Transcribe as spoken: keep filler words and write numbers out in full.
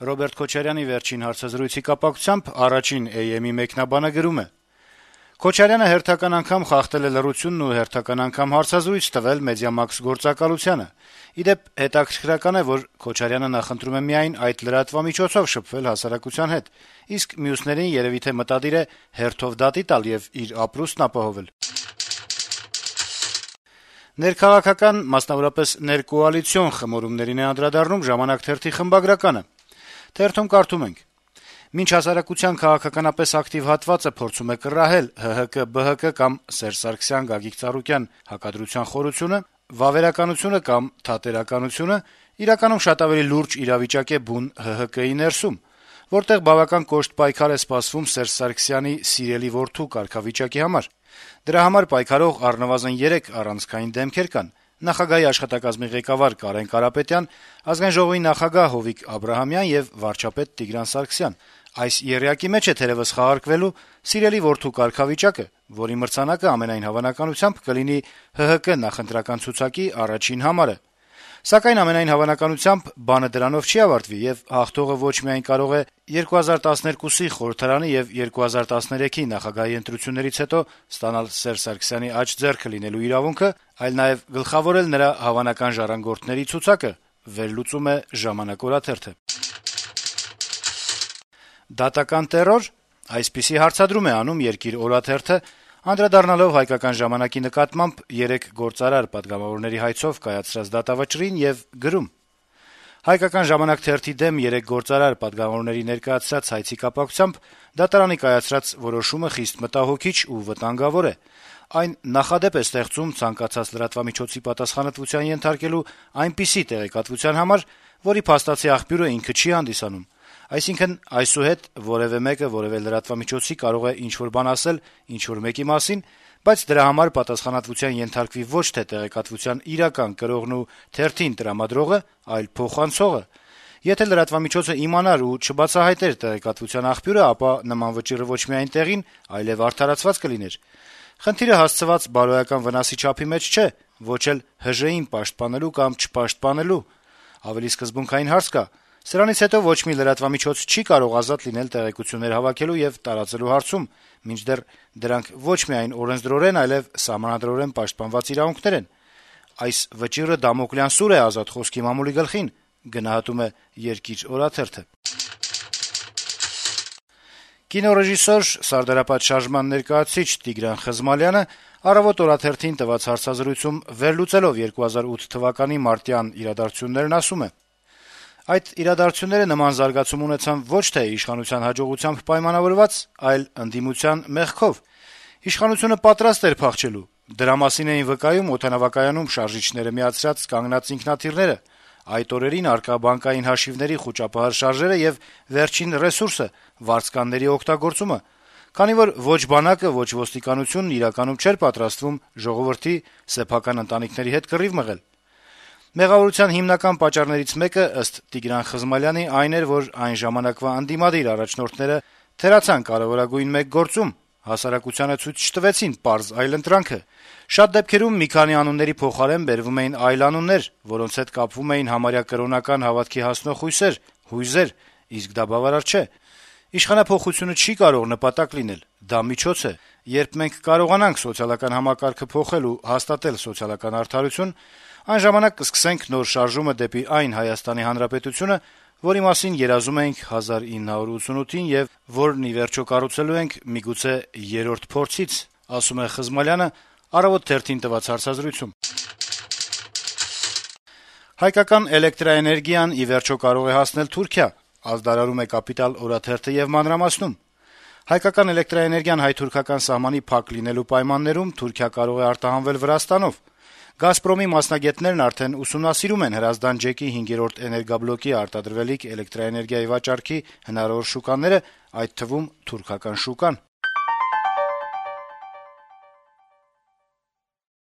Ռոբերտ Քոչարյանի վերջին հարցազրույցի կապակցությամբ առաջին Է Էմ-ի մեկնաբանը գրում է. - Քոչարյանը հերթական անգամ խախտել է լռությունն ու հերթական անգամ հարցազրույց տվել Մեդիամաքս գործակալությանը: Ի դեպ, հետաքրքրական է, որ Քոչարյանը նախընտրում է միայն այդ լրատվամիջոցով շփվել հասարակության հետ, իսկ մյուսներին երեւի թե մտադիր է հերթով դատի տալ եւ իր ապրուստն ապահովել: Ներքաղաքական, մասնավորապես ներկոալիցիոն խմորումներին է անդրադառնում «Ժամանակ» թերթի խմբագրականը: Թերթում կարդում ենք. - «Մինչ հասարակության քաղաքականապես ակտիվ հատվածը փորձում է կռահել Հ Հ К Բ Հ Կ կամ Սերժ Սարգսյան, Գագիկ Ծառուկյան հակադրության խորությունը, վավերականությունը կամ թատերականությունը իրականում շատ ավելի լուրջ իրավիճակ է բուն Հ Հ Կի ներսում, որտեղ բավական կոշտ պայքար է սպասվում Սերժ Սարգսյանի սիրելի որդու կարգավիճակի համար: Դրա համար պայքարող առնվազն երեք առանցքային դեմքեր կան` նախագահի աշխատակազմի ղեկավար Կարեն Կարապետյան, Ազգային ժողովի նախագահ Հովիկ Աբրահամյան եւ վարչապետ Տիգրան Սարգսյան: Այս եռյակի մեջ է թերեւս խաղարկվելու սիրելի որդու կարգավիճակը, որի մրցանակը ամենայն հավանականությամբ կլինի Հ Հ Կ նախընտրական ցուցակի առաջին համարը: Սակայն ամենայն հավանականությամբ բանը դրանով չի ավարտվի, եւ հաղթողը ոչ միայն կարող է երկու հազար տասներկուսի խորհրդարանի եւ երկու հազար տասներեքի նախագահի ընտրություններից հետո ստանալ Սերժ Սարգսյանի աջ ձեռքը լինելու իրավունքը, այլ նաեւ գլխավորել նրա հավանական ժառանգորդների ցուցակը», վերլուծում է «Ժամանակ» օրաթերթը: «Դատական տեռո՞ր», այսպիսի հարցադրում է անում «Երկիր» օրաթերթը, անդրադառնալով «Հայկական ժամանակ»-ի նկատմամբ երեք գործարար պատգամավորների հայցով կայացրած դատավճռին եւ գրում. - «Հայկական ժամանակ» թերթի դեմ երեք գործարար պատգամավորների ներկայացրած հայցի կապակցությամբ դատարանի կայացրած որոշումը խիստ մտահոգիչ ու վտանգավոր է: Այն նախադեպ է ստեղծում ցանկացած լրատվամիջոցի պատասխանատվության ենթարկելու այնպիսի տեղեկատվության համար, որի փաստացի աղբյուրը ինքը չի հանդիսանում: Այսինքն, այսուհետ որեւէ մեկը որեւէ լրատվամիջոցի կարող է ինչ-որ բան ասել ինչ-որ մեկի մասին, բայց դրա համար պատասխանատվության ենթարկվի ոչ թե տեղեկատվության իրական կրողն ու թերթին տրամադրողը, այլ փոխանցողը: Եթե լրատվամիջոցը իմանար ու չբացահայտեր տեղեկատվության աղբյուրը, ապա նման վճիռը ոչ միայն տեղին, այլեւ արդարացված կլիներ: Խնդիրը հասցված բարոյական վնասի չափի մեջ չէ, ոչ էլ Հ Ժ ին պաշտպանելու կամ չպաշտպանելու: Ավելի սկզբունքային հարց կա. սրանից հետո ոչ մի լրատվամիջոց չի կարող ազատ լինել տեղեկություններ հավաքելու եւ տարածելու հարցում, մինչդեռ դրանք ոչ միայն օրենսդրորեն, այլեւ սահմանադրորեն պաշտպանված իրավունքներ են: Այս վճիռը Դամոկլյան սուր է ազատ խոսքի մամուլի գլխին»: Կինոռեժիսոր, Սարդարապատ շարժման ներկայացուցիչ Տիգրան Խզմալյանը «Առավոտ» օրաթերթին տված հարցազրույցում վերլուծելով երկու հազար ութ թվականի մարտյան իրադարձություններն ասում է. - «Այդ իրադարձությունները նման զարգացում ունեցան ոչ թե իշխանության հաջողությամբ պայմանավորված, այլ ընդդիմության մեղքով: Իշխանությունը պատրաստ էր փախչելու: Դրա մասին էին վկայում օդանավակայանում շարժիչները միացրած կանգնած ինքնաթիռները, այդ օրերին առկա բանկային հաշիվների խուճապահար շարժերը եւ վերջին ռեսուրսը` վարձկանների օգտագործումը, քանի որ ոչ բանակը, ոչ ոստիկանությունն իրականում չէր պատրաստվում ժողովրդի, սեփական ընտանիքների հետ կռիվ մղել: Մեղավորության հիմնական պատճառներից մեկը, ըստ Տիգրան Խզմալյանի, այն էր, որ այն ժամանակվա ընդդիմադիր առաջնորդները թերացան կարեւորագույն մեկ գործում. հասարակությանը ցույց չտվեցին պարզ այլընտրանքը: Շատ դեպքերում մի քանի անունների փոխարեն բերվում էին այլ անուններ, որոնց հետ կապվում էին համարյա կրոնական հավատքի հասնող հույսեր, հույզեր, իսկ դա բավարար չէ: Իշխանափոխությունը չի կարող նպատակ լինել, դա միջոց է: Երբ մենք կարողանանք սոցիալական համակարգը փոխել ու հաստատել սոցիալական արդարություն, այն ժամանակ կսկսենք նոր շարժումը դեպի այն Հայաստանի Հանրապետությունը, որի մասին երազում էինք հազար ինը հարյուր ութսունութին եւ որն ի վերջո կառուցելու ենք միգուցե երրորդ փորձից», - ասում է Խզմալյանը «Առավոտ» թերթին տված հարցազրույցում: Հայկական էլեկտրաէներգիան ի վերջո կարող է հասնել Թուրքիա, ազդարարում է «Կապիտալ» օրաթերթը եւ մանրամասնում. - «Հայկական էլեկտրաէներգիան հայ-թուրքական սահմանի փակ լինելու պայմաններում Թուրքիա կարող է արտահանվել Վրաստանով: «Գազպրոմի» մասնագետներն արդեն ուսումնասիրում են Հրազդան ջեկի հինգերորդ էներգաբլոկի արտադրվելիք էլեկտրաէներգիայի վաճառքի հնարավոր շուկաները, այդ թվում թուրքական շուկան»: